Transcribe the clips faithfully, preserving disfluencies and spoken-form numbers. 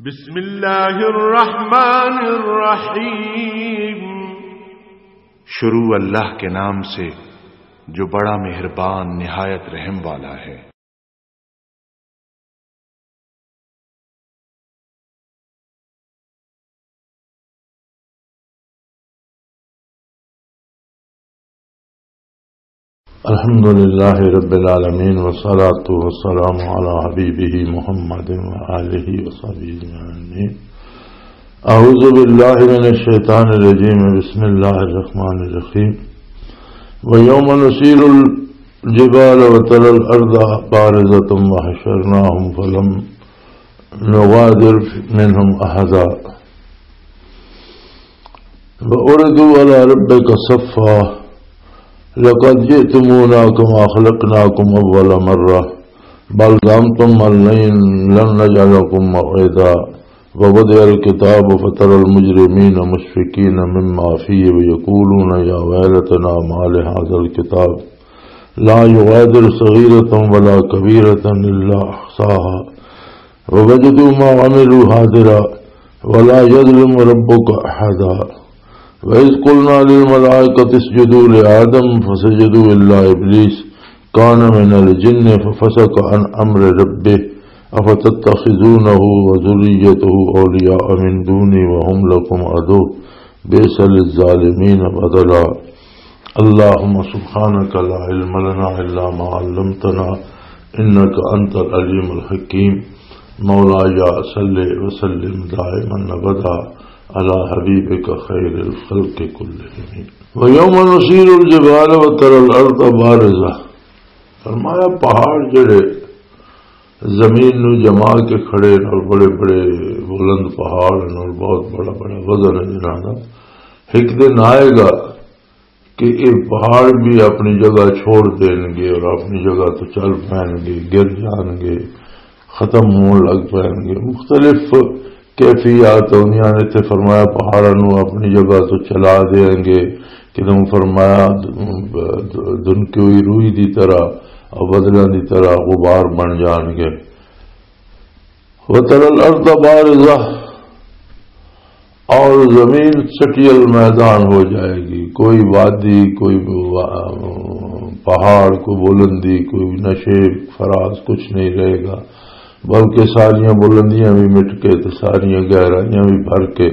بسم اللہ الرحمن الرحیم۔ شروع اللہ کے نام سے جو بڑا مہربان نہایت رحم والا ہے۔ الحمد لله رب العالمين، والصلاة والسلام على حبيبه محمد وآله وصحبه أجمعين. أعوذ بالله من الشيطان الرجيم. بسم الله الرحمن الرحيم. ويوم نسير الجبال وترى الأرض بارزة وحشرناهم فلم نغادر منهم أحدا. وعرضوا على ربك صفا لقد جئتمونا كما خلقناكم أول مرة بل زعمتم أن لن، لن نجعل لكم موعدا. ووضع الكتاب فترى المجرمين مشفقين مما فيه ويقولون يا ويلتنا ما لهذا الكتاب لا يغادر صغيرة ولا كبيرة إلا أحصاها ووجدوا ما عملوا حاضرا ولا يظلم ربك أحدا. وإذ قلنا للملائكة اسجدوا لآدم فسجدوا إلا إبليس كان من الجن ففسق عن أمر ربه أفتتخذونه وذريته أولياء من دوني وهم لكم عدو بئس للظالمين بدلا. اللهم سبحانك لا علم لنا إلا ما علمتنا إنك أنت العليم الحكيم. مولاي صل وسلم دائما أبدا على حبيبك خير الخلق كلهم. ويوم نسير الجبال وترى الأرض بارزة. فرمایا، پہاڑ جڑے زمین نو جما کے کھڑے نے اور بڑے بڑے بلند پہاڑ نے اور بہت بڑا بڑا وزن ہے جنہاں دا، ایک دن آئے گا کہ یہ پہاڑ بھی اپنی جگہ چھوڑ دیں گے اور اپنی جگہ تو چل پائیں گے، گر جان گے، ختم ہون لگ پائیں گے۔ مختلف کیفیات ہوندیاں نے۔ اتھے فرمایا پہاڑاں نو اپنی جگہ تو چلا دیں گے، کدوں فرمایا دنکوئی روئی دی طرح اور بدلیاں دی طرح غبار بن جان گے۔ وترى الأرض بارزة، اور زمین چٹیل میدان ہو جائے گی، کوئی وادی، کوئی وا-، پہاڑ، کوئی بلندی، کوئی نشیب فراز کچھ نہیں رہے گا، بلکہ ساریاں بلندیاں بھی مٹ کے تے ساریاں گہرائیاں بھی بھر کے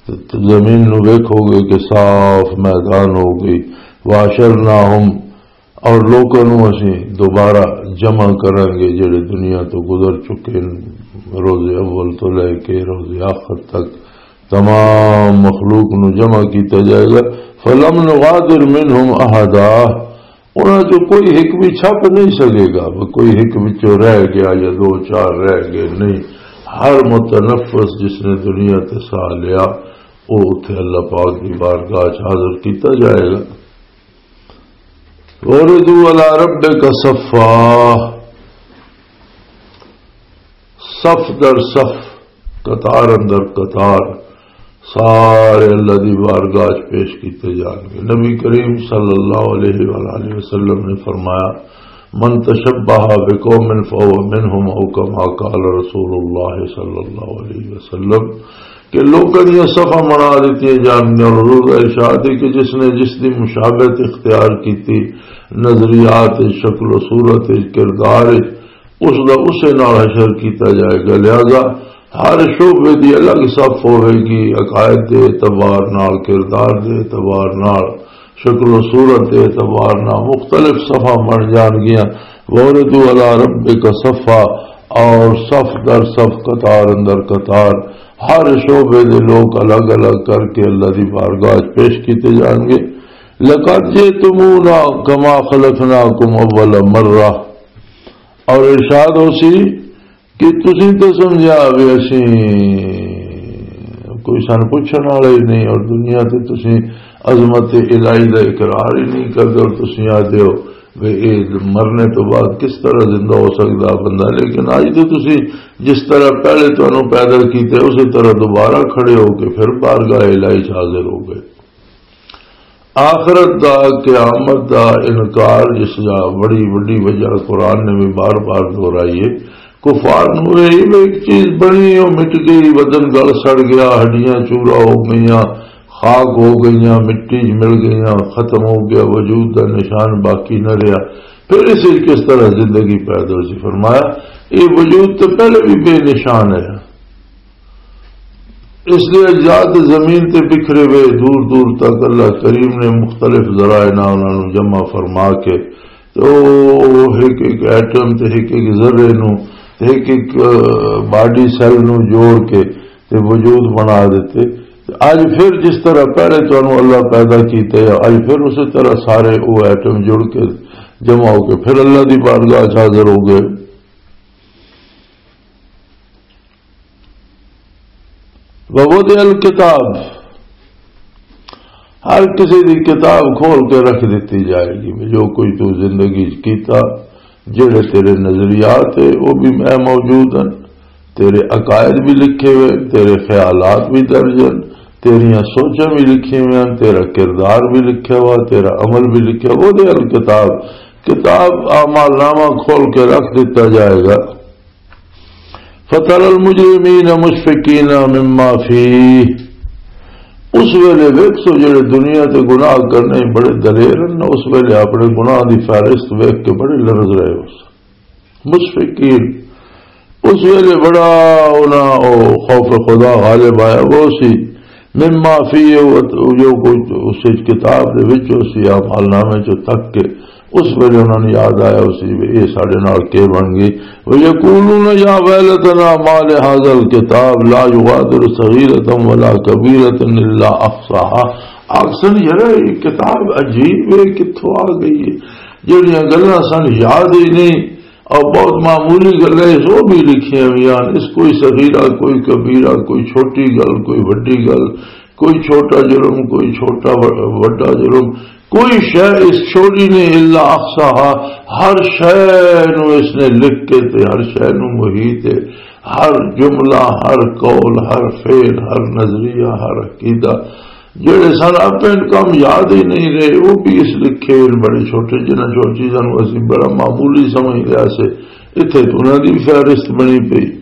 تے زمین نو ویکھو گے کہ صاف میدان ہو گئی۔ وحشرناهم، اور لوکاں نوں اسی دوبارہ جمع کراں گے جڑے دنیا تو گزر چکے ہیں، روز اول تو لے کے روز آخر تک تمام مخلوق نوں جمع کیتا جائے گا۔ فلم نغادر منهم احدا، انہاں چوں کوئی ایک بھی چھپ نہیں سکے گا، وہ کوئی ایک وچوں رہ گیا یا دو چار رہ گئے، نہیں۔ ہر متنفس جس نے دنیا تے ساہ لیا، وہ اتھے اللہ پاک دی بارگاہ چ حاضر کیتا جائے گا۔ وردوا علی ربک صفا، صف در صف، قطار اندر قطار، سارے اللہ دی بارگاہ چ پیش کیتے جان گے۔ نبی کریم صلی اللہ علیہ وآلہ وسلم نے فرمایا، من تشبہ بقوم فهو منهم، او کما قال رسول اللہ صلی اللہ علیہ وسلم، کہ لوکاں دیاں صفاں بنا دتیاں جان گیاں۔ اور حضور دا ارشاد ہے کہ جس نے جس دی مشابہت اختیار کیتی، نظریات، شکل و صورت، کردار، اس دا اسے نال حشر کیتا جائے گا۔ لہذا ہر شعبے دی الگ صف ہوے گی، عقائد دے اعتبار نال، کردار دے اعتبار نال، شکل و صورت دے اعتبار نال مختلف صفاں بن جان گیاں۔ وردوا علی ربک صفا، اور صف در صف، قطار اندر قطار، ہر شعبے دے لوگ الگ الگ کر کے اللہ دی بارگاہ وچ پیش کیتے جان گے۔ لقد جئتمونا کما خلقناکم اول مرہ، اور ارشاد ہو سی کہ تسی تے سمجھا بھی اسی کوئی سن پوچھن والا ہی نہیں، اور دنیا تے تسی عظمت الہی دا اقرار ہی نہیں کردے، اور تسی آدھے ہو بھی اے مرنے تو بعد کس طرح زندہ ہو سکدا بندہ؟ لیکن اج تے تسی جس طرح پہلے تانوں پیدا کیتے، اسی طرح دوبارہ کھڑے ہو کے پھر بارگاہ الہی چ حاضر ہو گئے۔ آخرت دا، قیامت دا انکار، جس دا بڑی وڈی وجہ قرآن نے بھی بار بار دہرائی ہے کفار نوں یہ ایک چیز بنی، وہ مٹ گئی، بدن گل سڑ گیا، ہڈیاں چورا ہو گئیاں، خاک ہو گئیاں، مٹی چ مل گئیاں، ختم ہو گیا، وجود دا نشان باقی نہ رہیا۔ پھر اس وچ کس طرح زندگی پیدا ہو سی؟ فرمایا، یہ وجود تو پہلے بھی بے نشان ہے۔ اس دے اجزاء تے زمین تے بکھرے ہوئے دور دور تک اللہ کریم نے مختلف ذرائع نال انہاں نوں جمع فرما کے، تے او ایک ایک ایٹم تے ایک ایک ذرے نوں تے ایک ایک، آ، باڈی سیل نوں جوڑ کے تے وجود بنا دیتے۔ تے اج پھر جس طرح پہلے تانوں اللہ پیدا کیتے، اج پھر اسی طرح سارے او ایٹم جڑ کے جمع ہو کے پھر اللہ دی بارگاہ چ حاضر ہو گئے۔ ووضع الکتاب، ہر کسی دی کتاب کھول کے رکھ دتی جائے گی، جو کوئی تو زندگی چ کیتا، جڑے تیرے نظریات ہے، وہ بھی میں موجود ہیں، تیرے عقائد بھی لکھے ہوئے، تیرے خیالات بھی درج ہیں، تیریاں سوچاں بھی لکھے ہوئے ہیں، تیرا کردار بھی لکھا ہوا، تیرا عمل بھی لکھا ہوا۔ ووضع الکتاب، کتاب اعمال نامہ کھول کے رکھ دتا جائے گا۔ فترى المجرمين مشفقين مما فيه، اس ویلے ویکھو جڑے دنیا تے گناہ کرنے بڑے دلیر ہیں، اس ویلے اپنے گناہ دی فہرست ویکھ کے بڑے لرز رہے ہو۔ مشفقین، اس ویلے بڑا انہاں او خوف خدا غالب آیا وہ سی، مما فيه، جو کچھ اس وچ کتاب دے وچ اس اعمال نامے چوں تک کے اس ویلے انہاں نوں یاد آیا اسی وی اے ساڈے نال کی بن گئی۔ وَيَقُولُونَ يَا وَيْلَتَنَا مَا لِهَذَا الْكِتَابِ لَا يُغَادِرُ صَغِيرَةً وَلَا كَبِيرَةً إِلَّا أَحْصَاهَا۔ آکھسن، یار، یہ کتاب عجیب ہے، کتھوں آ گئی ہے؟ جہڑیاں گلاں سن یاد ہی نہیں، اور بہت معمولی گلاں اس وہ بھی لکھیاں ہوئی ہیں، اس کوئی صغیرہ، کوئی کبیرہ، کوئی چھوٹی گل، کوئی وڈی گل، کوئی چھوٹا جرم، کوئی چھوٹا و-، وڈا جرم، کوئی شے اس چھوڑی نہیں، الا احصاها، ہر شے نو اس نے لکھ کے تے ہر شے نو محیط ہے، ہر جملہ، ہر قول، ہر فعل، ہر نظریہ، ہر عقیدہ، جڑے سن اپنے کم یاد ہی نہیں رہے، وہ بھی اس لکھے ہوئے بڑے چھوٹے، جنہاں چھوٹی چیزاں نو اسی بڑا معمولی سمجھ لیا سے، اتھے تو انہاں دی فہرست بنی پئی۔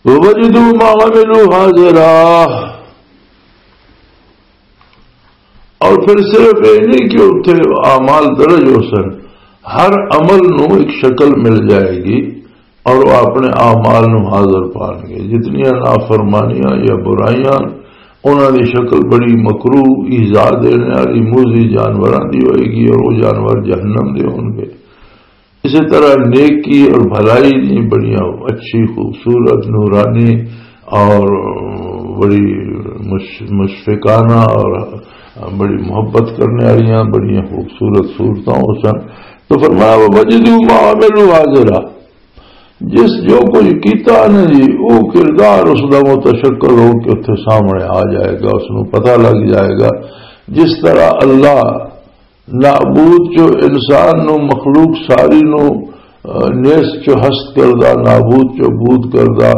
وَوَجَدُوا مَا عَمِلُوا حَاضِرًا۔ اور پھر صرف یہ نہیں کہ اتھے اعمال درج ہو سن، ہر عمل نو ایک شکل مل جائے گی اور وہ اپنے اعمال نو حاضر پان گے۔ جتنیاں نافرمانیاں یا برائیاں، انہاں دی شکل بڑی مکروہ، ایذا دینے والی، موذی جانوراں دی ہوئے گی اور وہ جانور جہنم دے ہون گے۔ اسی طرح نیکی اور بھلائی دی بڑیاں اچھی، خوبصورت، نورانی اور بڑی مش-، مشفقانہ اور بڑی محبت کرنے والیاں بڑیاں خوبصورت صورتاں ہو سن۔ تو فرمایا، "وَوَجَدُوا مَا عَمِلُوا حَاضِرًا۔" جس جو کچھ کیتا نا جی، وہ کردار اس دا متشکل ہو کے اتھے سامنے آ جائے گا، اس نوں پتہ لگ جائے گا۔ جس طرح اللہ نابود چو انسان نو، مخلوق ساری نو، آ، نیست چو ہست کردا، نابود چو بود کردا،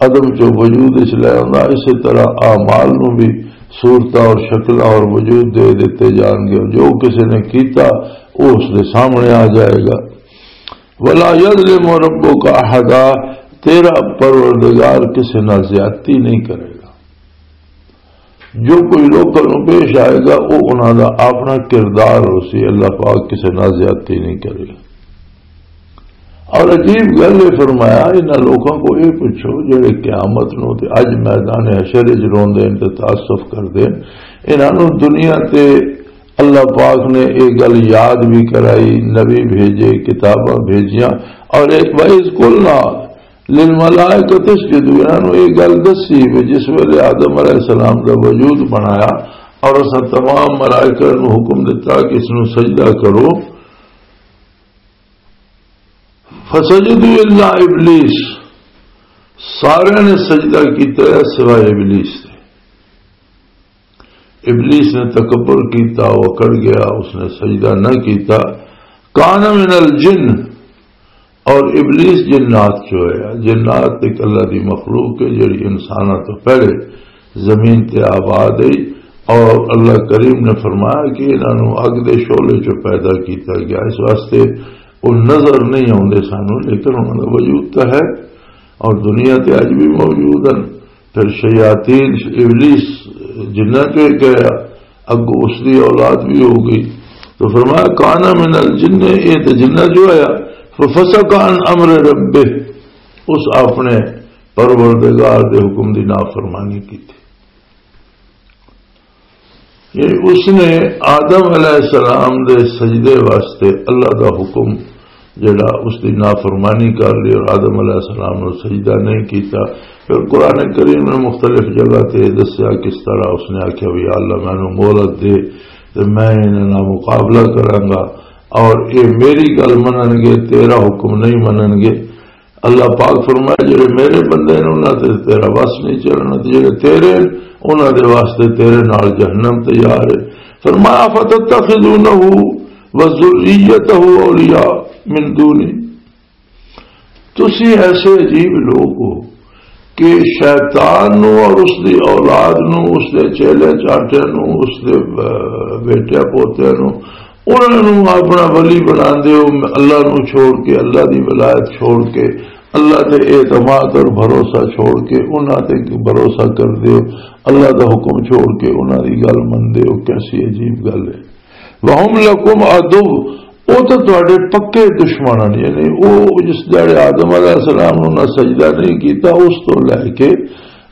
عدم چو وجود اچ لے آندا، اسی طرح اعمال نو بھی صورتاں اور شکلاں اور وجود دے دتے جان گے۔ جو کسی نے کیتا، وہ اس دے سامنے آ جائے گا۔ ولا یظلم ربک احدا، تیرا پروردگار کسی نال زیادتی نہیں کرے گا۔ جو کوئی لوکاں نوں پیش آئے گا، وہ انہاں دا اپنا کردار ہو سی، اللہ پاک کسی نال زیادتی نہیں کرے گا۔ اور عجیب گل یہ فرمایا، انہاں لوکاں کو یہ پوچھو جڑے قیامت نوں تے اج میدان حشر وچ روندے نے تے تاسف کردے نے، انہاں نوں دنیا تے اللہ پاک نے یہ گل یاد بھی کرائی، نبی بھیجے، کتاباں بھیجیاں، اور ایک وَإِذْ قُلْنَا لِلْمَلَائِكَةِ اسْجُدُوا، انہاں نوں یہ گل دسی بھی جس ویلے آدم علیہ السلام دا وجود بنایا اور اساں تمام ملائکہ نوں حکم دتا کہ اس نوں سجدہ کرو، فَسَجَدُوا إِلَّا إِبْلِيسَ، سارے نے سجدہ کیتا ہے سوائے ابلیس دے۔ ابلیس نے تکبر کیتا، وہ اکڑ گیا، اس نے سجدہ نہ کیتا۔ کان من الجن، اور ابلیس جنات چو ہے۔ جنات ایک اللہ دی مخلوق ہے جڑی انساناں تو پہلے زمین تے آباد ہے، اور اللہ کریم نے فرمایا کہ انہاں نوں اگ دے شعلے چو پیدا کیتا گیا۔ اس واسطے وہ نظر نہیں آتے سانو، لیکن انہوں کا وجود تو ہے اور دنیا تے اج بھی موجود ہیں۔ پھر شیاطین، ابلیس، جنہ چوں ایک ہے، اگوں اس دی اولاد بھی ہو گئی۔ تو فرمایا، "کان من الجن"، یہ تو جنہ چوں آیا، "ففسق عن امر ربہ"، اس اپنے پروردگار دے حکم دی نافرمانی کی تھی۔ یعنی اس نے آدم علیہ السلام دے سجدے واسطے اللہ دا حکم جڑا، اس دی نافرمانی کر لی اور آدم علیہ السلام نے سجدہ نہیں کیتا۔ پھر قرآن کریم نے مختلف جگہ تے دسیا کس طرح اس نے آکھیا، "بھی اللہ، مینوں مہلت دے تے میں انہاں نال مقابلہ کراں گا اور اے میری گل منن گے، تیرا حکم نہیں منن گے۔" اللہ پاک فرمایا، "جڑے میرے بندے نے، انہاں تے تیرا وس نہیں چلنا، تے جڑے تیرے، انہاں دے واسطے تیرے نال جہنم تیار ہے۔" فرمایا، "فتتخذونہ وذریتہ اولیاء من دونی۔" تسی ایسے عجیب لوگ ہو کہ شیطان نو اور اس دی اولاد نو، اس دے چیلے چانٹے نو، اس دے، آ، بیٹے پوتے نو، انہاں نو اپنا ولی بناندے ہو، اللہ نو چھوڑ کے، اللہ دی ولایت چھوڑ کے، اللہ تے اعتماد اور بھروسہ چھوڑ کے، انہاں تے بھروسہ کردے ہو، اللہ دا حکم چھوڑ کے انہاں دی گل مندے ہو۔ کیسی عجیب گل ہے۔ وَهُمْ لَكُمْ عَدُوٌّ، او تے تہاڈے پکے دشمن ہن، یعنی او جس جڑے آدم علیہ السلام نوں نہ سجدہ نہیں کیتا، اس تو لے کے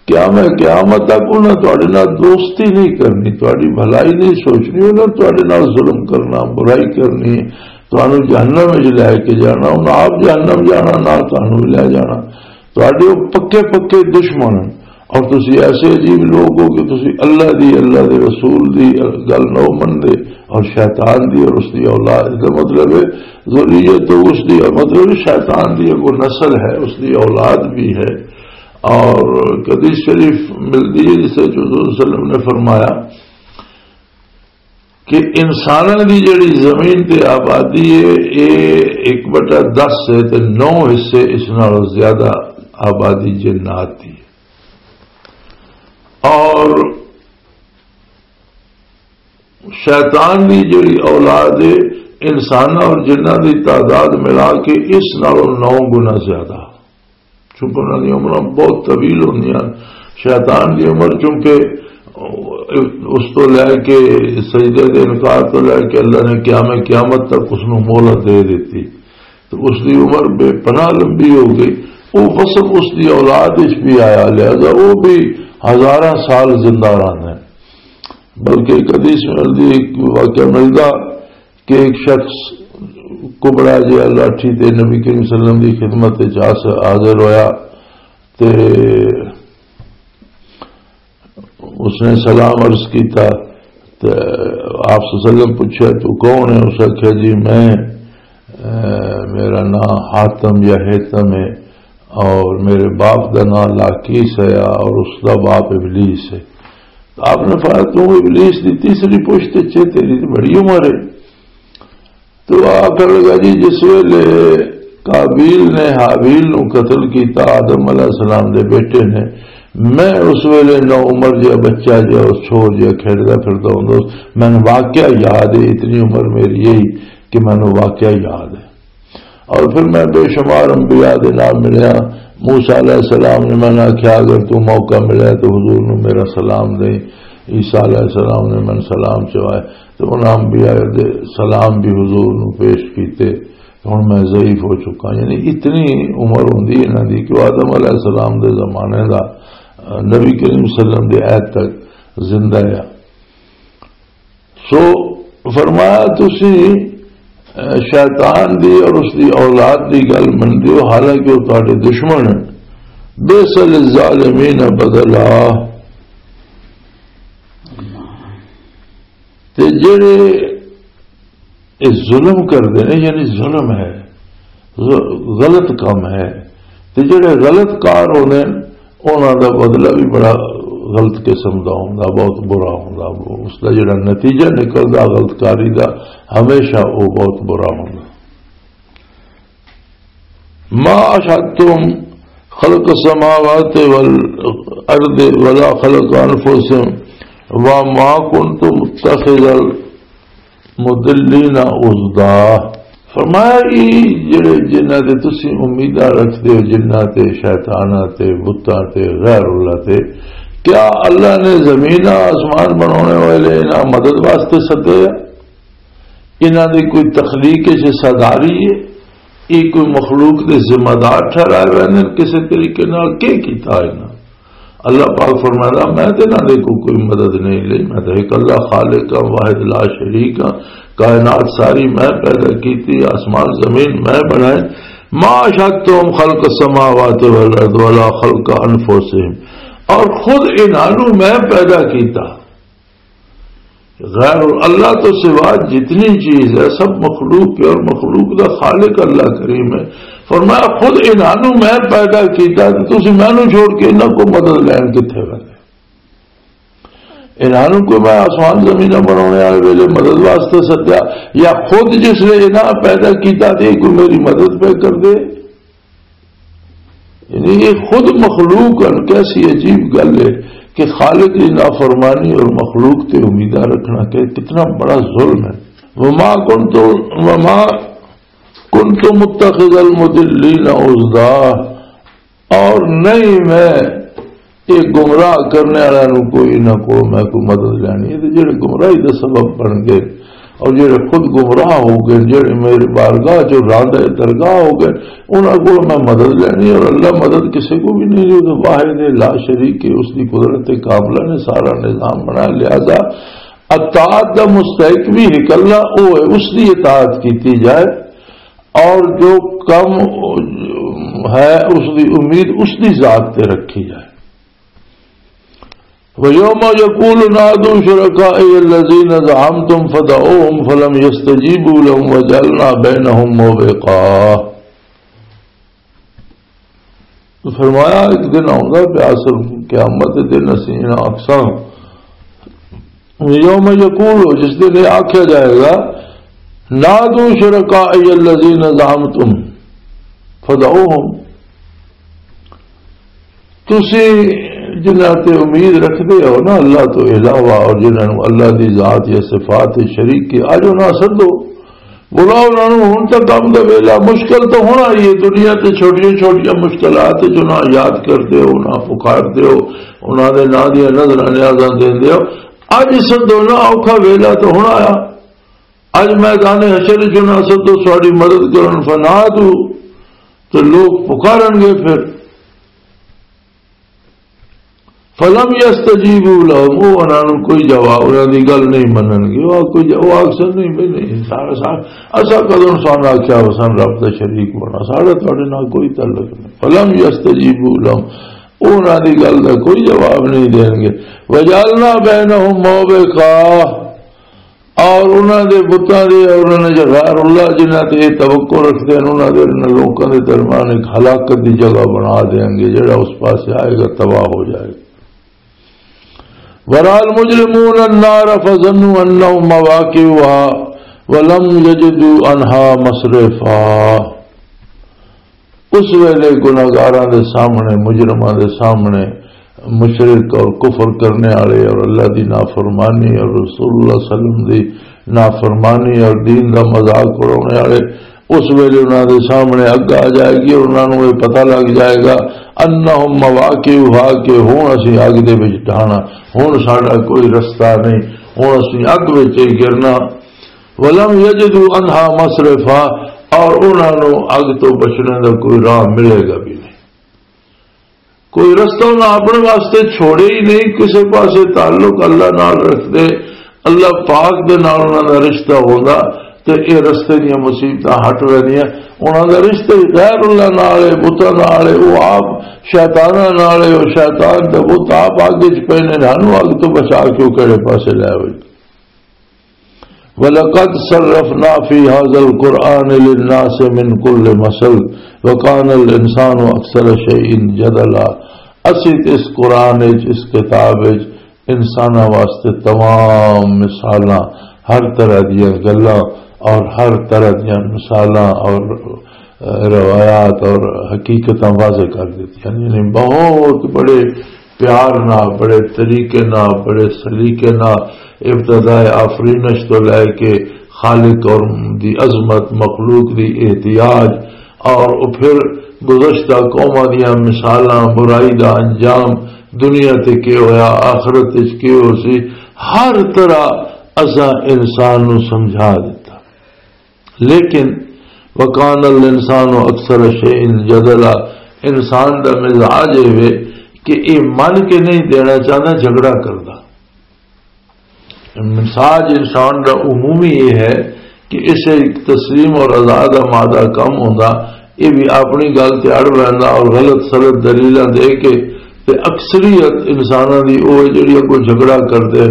قیام قیامت تک انہاں تہاڈے نال دوستی نہیں کرنی، تہاڈی بھلائی نہیں سوچنی، انہاں تہاڈے نال ظلم کرنا، برائی کرنی، تہانوں جہنم وچ لے کے جانا، انہاں آپ جہنم جانا، نال تہانوں بھی لے جانا۔ تہاڈے او پکے پکے دشمن ہن۔ اور تسی ایسے عجیب لوگ ہو کہ تسی اللہ دی، اللہ دے رسول دی گل نہ مندے اور شیطان دی اور اس دی اولاد دا مطلب ہے، ذریت تو اس دی مطلب ہے شیطان دی وہ نسل ہے، اس دی اولاد بھی ہے۔ اور حدیث شریف ملتی ہے جس سے حضور صلی اللہ علیہ وسلم نے فرمایا کہ انساناں دی جڑی زمین تے آبادی ہے، اے ایک بٹا دس ہے تے نو حصے اس نالوں زیادہ آبادی جنات دی ہے۔ اور شیطان دی جڑی اولاد ہے، انساناں اور جناں دی تعداد ملا کے اس نالوں نو گنا زیادہ، چونکہ انہاں دی عمراں بہت طویل ہوندیاں۔ شیطان دی عمر چونکہ اس تو لے کے، سجدے دے انکار تو لے کے اللہ نے قیام قیامت تک اس نوں مہلت دے دتی، تو اس دی عمر بے پناہ لمبی ہو گئی۔ وہ وصف اس دی اولاد وچ بھی آیا، لہذا وہ بھی ہزاراں سال زندہ رہنا ہے۔ بلکہ ایک حدیث میں دی ایک واقعہ ملدا کہ ایک شخص کبڑا جہا لاٹھی تے نبی کریم صلی اللہ علیہ وسلم دی خدمت وچ آس-، حاضر ہویا تے اس نے سلام عرض کیتا۔ تے آپ صلی اللہ علیہ وسلم پوچھا، "تو کون ہے؟" اس آکھیا، "جی میں، اے، میرا نام حاتم یا حیتم ہے اور میرے باپ دا نام لاکیس ہے اور اس دا باپ ابلیس ہے۔" آپ نے فرمایا، "تو ابلیس دی تیسری پشت چ ہے، تیری تے بڑی عمر ہے۔" تو آخر لگا، جی، جس ویلے قابیل نے حابیل نو قتل کیتا، آدم علیہ السلام دے بیٹے نے، میں اس ویلے نو عمر جہا بچہ جہا، اس چھوڑ جہا کھیڈدا پھردا ہوندا، مینوں واقعہ یاد ہے، اتنی عمر میری یہی کہ مینوں واقعہ یاد ہے۔ اور پھر میں بے شمار انبیاء دے نال ملیا۔ موسیٰ علیہ السلام نے میں نے آکھیا، "اگر تو موقع ملے تو حضور نو میرا سلام دیں۔" عیسیٰ علیہ السلام نے میں سلام چوائے، تو انہاں انبیاء دے سلام بھی حضور نو پیش کیتے۔ ہن میں ضعیف ہو چکا، یعنی اتنی عمر ہوندی انہاں دی کہ وہ آدم علیہ السلام دے زمانے دا، آ، نبی کریم صلی اللہ علیہ وسلم دے عہد تک زندہ ہے۔ سو فرمایا، تسی، اے، شیطان دی اور اس دی اولاد دی گل مندے ہو، حالانکہ وہ تہاڈے دشمن ہیں۔ بئس للظالمین بدلا۔ تے جڑے یہ ظلم کردے نے، یعنی ظلم ہے، غ-، غلط کام ہے، تے جڑے غلط کار ہوندے نے، انہاں دا بدلہ بھی بڑا غلط قسم دا ہوندا، بہت برا ہوندا۔ اس دا جڑا نتیجہ نکلدا غلط کاری دا، ہمیشہ وہ بہت برا ہوندا۔ ما اشہدتم خلق السماوات والارض ولا خلق انفسهم وما كنت متخذ المضلین عضدا۔ فرمایا، "یہ جڑے جنہاں تے تسی امیداں رکھدے ہو، جنہاں تے، شیطاناں تے، بتاں تے، غیر اللہ تے، کیا اللہ نے زمین آسمان بنانے والے انہاں مدد واسطے سدے آ؟ انہاں دی کوئی تخلیق حصہ داری ہے؟ یہ کوئی مخلوق دے ذمہ دار ٹھہرائے ہوئے نے کسی طریقے نال؟ کی کیتا انہاں؟" اللہ پاک فرماتا، "میں تے انہاں دے کو کوئی مدد نہیں لئی، میں تے ایک اللہ خالق ہاں، واحد لا شریک ہاں، کائنات ساری میں پیدا کیتی، آسمان زمین میں بنائے، ما اشہدتہم خلق السماوات والارض ولا خلق انفسہم، اور خود انہاں نوں میں پیدا کیتا۔" غیر اللہ تو سوا جتنی چیز ہے، سب مخلوق ہے، اور مخلوق دا خالق اللہ کریم ہے۔ فرمایا، "خود انہاں نوں میں پیدا کیتا، تے تسی مینوں چھوڑ کے انہاں کو مدد لین کتھے ویندے؟ انہاں نوں کوئی میں آسمان زمیناں بنانے والے ویلے مدد واسطے سدیا، یا خود جس نے انہاں پیدا کیتا، تے کوئی میری مدد پہ کر دے؟" یعنی یہ خود مخلوق ہن، کیسی عجیب گل ہے کہ خالق دی نافرمانی اور مخلوق تے امیداں رکھنا کہ کتنا بڑا ظلم ہے۔ وما کنت، وما کنت متخذ المضلین عضدا، اور نہیں میں یہ گمراہ کرنے والوں نوں کوئی نہ کوئی میں کوئی مدد لینی ہے۔ تے جڑے گمراہی دا سبب بن گئے اور جڑے خود گمراہ ہو گئے، جڑے میری بارگاہ چوں راندہ درگاہ ہو گئے، انہاں کول میں مدد لینی ہے۔ اور اللہ مدد کسے کو بھی نہیں، جو واحد ہے، لا شریک ہے، اس دی قدرت کاملہ نے سارا نظام بنایا۔ لہذا اطاعت دا مستحق بھی ایک اللہ، او ہے، اس دی اطاعت کیتی جائے، اور جو کم ہے، اس دی امید اس دی ذات تے رکھی جائے۔ وَيَوْمَ يَقُولُ نَادُوا شُرَكَائِيَ الَّذِينَ زَعَمْتُمْ فَدَعَوْهُمْ فَلَمْ يَسْتَجِيبُوا لَهُمْ وَجَعَلْنَا بَيْنَهُمْ مَوْبِقًا۔ فرمایا، ایک دن آؤں گا، پیاسر قیامت دے دن، اسی انہاں اکساں، یوم یقول، جس دن یہ آکھیا جائے گا، "نادوا شرکائی الذین زعمتم فدعوہم"، تسی جنہاں تے امید رکھدے ہو نا اللہ تو علاوہ، اور جنہاں نوں اللہ دی ذات یا صفات شریک کی، اج انہاں سدو، بلاؤ انہاں نوں، ہن تاں کم دا ویلا، مشکل تاں ہن آئی ہے، دنیا تے چھوٹیاں چھوٹیاں مشکلات جو نہ یاد کردے ہو، نہ پکاردے ہو، انہاں دے ناں دیاں نظراں نیازاں دیندے ہو، اج سدو نہ، اوکھا ویلا تاں ہن آیا، اج میدان حشر جو نہ سدو ساڈی مدد کرن، فنادو، تے لوگ پکارن گے پھر۔ فلم یستجیبوا لهم، وہ انہاں نوں کوئی جواب، انہاں دی گل نہیں منن گے۔ وہ کوئی جو-، وہ آکھسن نہیں، بھی نہیں، سارا سا-، اسا کدوں سان آکھیا وسن رب دا شریک بنا، ساڈا تہاڈے نال کوئی تعلق نہیں۔ فلم یستجیبوا لهم، وہ انہاں دی گل دا کوئی جواب نہیں دین گے۔ وجعلنا بینہم موبقا، اور انہاں دے بتاں دے اور انہاں دے غیر اللہ جنہاں تے یہ توقع رکھدے ہیں، انہاں دے انہاں لوکاں دے درمیان ایک ہلاکت دی جگہ بنا دیں گے، جڑا اس پاسے آئے گا تباہ ہو جائے گا۔ ورأى المجرمون النار فظنوا أنهم مواقعها ولم يجدوا عنها مصرفا۔ اس ویلے گناہگاراں دے سامنے، مجرماں دے سامنے، مشرک اور کفر کرنے والے اور اللہ دی نافرمانی اور رسول اللہ صلی اللہ علیہ وسلم دی نافرمانی اور دین دا مذاق اڑانے والے، اس ویلے انہاں دے سامنے اگ آ جائے گی اور انہاں نوں یہ پتہ لگ جائے گا، انہم مواقعها، کہ ہن اسی اگ دے وچ ڈھانا، ہن ساڈا کوئی رستہ نہیں، ہن اسی اگ وچ ہی گرنا۔ ولم یجدوا عنہا مصرفا، اور انہاں نوں اگ تو بچنے دا کوئی راہ ملے گا بھی نہیں، کوئی رستہ انہاں اپنے واسطے چھوڑے ہی نہیں۔ کسے پاسے تعلق اللہ نال رکھدے، اللہ پاک دے نال انہاں دا رشتہ ہوندا تے اے رستے دیاں مصیبتاں ہٹ ویندیاں۔ انہاں دا رشتہ ہی غیر اللہ نال ہے، بتاں نال ہے، وہ آپ شیطاناں نال ہے، وہ شیطان تے بت آپ اگ وچ پے نے، سانوں اگ تو بچا کے وہ کہڑے پاسے لے آوے؟ وَلَقَدْ صَرَّفْنَا فِي هَذَا الْقُرْآنِ لِلنَّاسِ مِنْ كُلِّ مَثَلٍ وَكَانَ الْإِنسَانُ أَكْثَرَ شَيْءٍ جَدَلًا۔ اسی تے اس قرآن وچ، اس کتاب وچ انساناں واسطے تمام مثالاں، ہر طرح دیاں گلاں اور ہر طرح دیاں مثالاں اور روایات اور حقیقتاں واضح کر دتیاں، یعنی بہت بڑے پیار نال، بڑے طریقے نال، بڑے سلیقے نال ابتدائے آفرینش تو لے کے خالق اور دی عظمت، مخلوق دی احتیاج، اور وہ پھر گزشتہ قوماں دیاں مثالاں، برائی دا انجام، دنیا تے کی ہویا، آخرت وچ کی ہو سی، ہر طرح اساں انسان نو سمجھا دیتا۔ لیکن وکان الانسان اکثر شیء جدلا، انسان دا مزاج یہ وے کہ یہ من کے نہیں دینا چاہتا، جھگڑا کردا۔ مزاج انسان دا عمومی یہ ہے کہ اسے تسلیم اور رضا دا مادہ کم ہوندا، یہ بھی اپنی گل تے اڑ ویندا اور غلط سلط دلیلاں دے کے، تے اکثریت انساناں دی او ہے جڑی اگوں جھگڑا کردے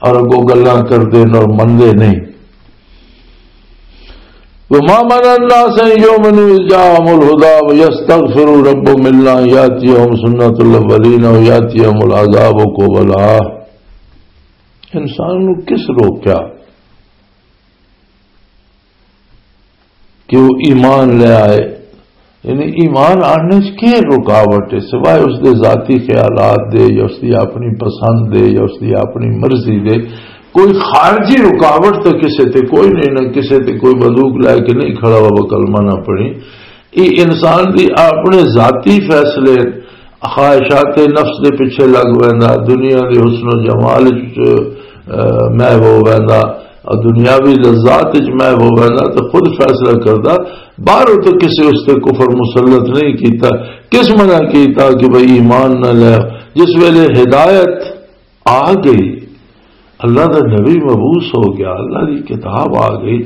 اور اگوں گلاں کردے اور مندے نہیں۔ وما منع الناس ان يؤمنوا اذ جاءهم الهدى ويستغفروا ربهم الا ان ياتيهم سنة الاولين او ياتيهم العذاب قبلا۔ انسان نو کس روکیا کہ وہ ایمان لے آئے؟ یعنی ایمان آنے چ کی رکاوٹ ہے، سوائے اس دے ذاتی خیالات دے یا اس دی اپنی پسند دے یا اس دی اپنی مرضی دے؟ کوئی خارجی رکاوٹ تو کسے تے کوئی نہیں، نہ کسے تے کوئی بندوق لے کے نہیں کھڑا ہوا، کلمہ نہ پڑھی۔ یہ انسان دی اپنے ذاتی فیصلے، خواہشات نفس دے پیچھے لگ ویندا، دنیا دے حسن و جمال وچ، اہ، محو ہو ویندا، اور دنیاوی لذات وچ محو ہو ویندا تے خود فیصلہ کردا۔ باہروں تو کسی اس تے کفر مسلط نہیں کیتا۔ کس منع کیتا کہ بھئی ایمان نہ لے؟ جس ویلے ہدایت آ گئی، اللہ دا نبی مبعوث ہو گیا، اللہ دی کتاب آ گئی،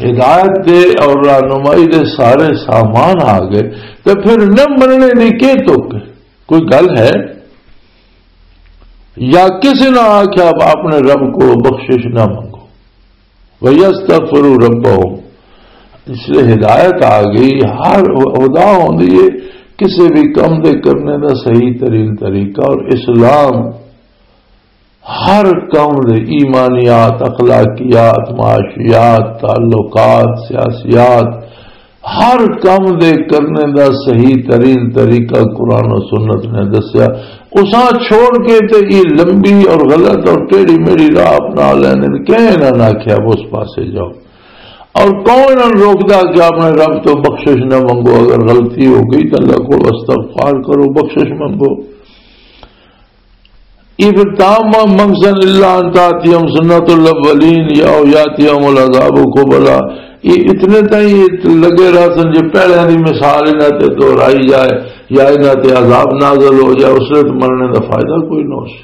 ہدایت دے اور رہنمائی دے سارے سامان آ گئے، تے پھر نہ مننے دی کی تک؟ کوئی گل ہے؟ یا کسی نہ آکھیا اپنے رب کو بخشش نہ منگو، وَيَسْتَغْفِرُوا رَبَّهُمْ۔ اس لیے ہدایت آ گئی، ہر ہدا ہوندی ہے کسی بھی کم دے کرنے دا صحیح ترین طریقہ، اور اسلام ہر قوم دے ایمانیات، اخلاقیات، معاشیات، تعلقات، سیاسیات، ہر قوم دے کرنے دا صحیح ترین طریقہ قرآن و سنت نے دسیا۔ اساں چھوڑ کے تے یہ لمبی اور غلط اور ٹیڑھی میڑھی راہ اپنا لینے، کہیں نہ آکھیا اس پاسے جاؤ۔ اور کون انہاں روکدا کہ اپنے رب تو بخشش نہ منگو؟ اگر غلطی ہو گئی تو اللہ کو استغفار کرو، بخشش منگو۔ یہ پھر تام منگسن الا ان تاتیہم سنت الاولین یا او یاتیہم العذاب قبلا۔ یہ اتنے تائیں یہ لگے رہسن جو پہلے دی مثال انہاں تے دہرائی جائے یا انہاں تے عذاب نازل ہو جائے، اس وقت مرنے دا فائدہ کوئی نہ ہو سی۔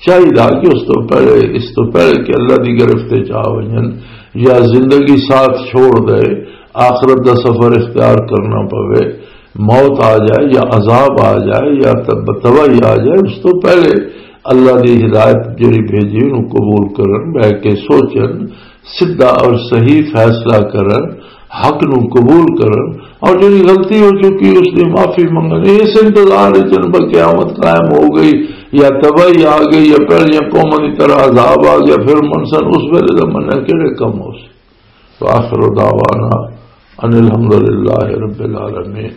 چاہیے کہ اس تو پہلے، اس تو پہلے کہ اللہ دی گرفت وچ آ ونجن یا زندگی ساتھ چھوڑ دے، آخرت دا سفر اختیار کرنا پوے، موت آ جائے یا عذاب آ جائے یا تب-، تباہی آ جائے، اس تو پہلے اللہ دی ہدایت جڑی بھیجی، انہوں قبول کرن، بہ کے سوچن، سیدھا اور صحیح فیصلہ کرن، حق نو قبول کرن، اور جڑی غلطی ہو چکی اس دی معافی منگن۔ اس انتظار وچ جن پر قیامت قائم ہو گئی یا تباہی آ گئی یا پہلیاں قوماں دی طرح عذاب آ گیا، پھر منسن اس ویلے دا مننا کہڑے کم ہو سی؟ وآخر دعوانا ان الحمدللہ رب العالمین۔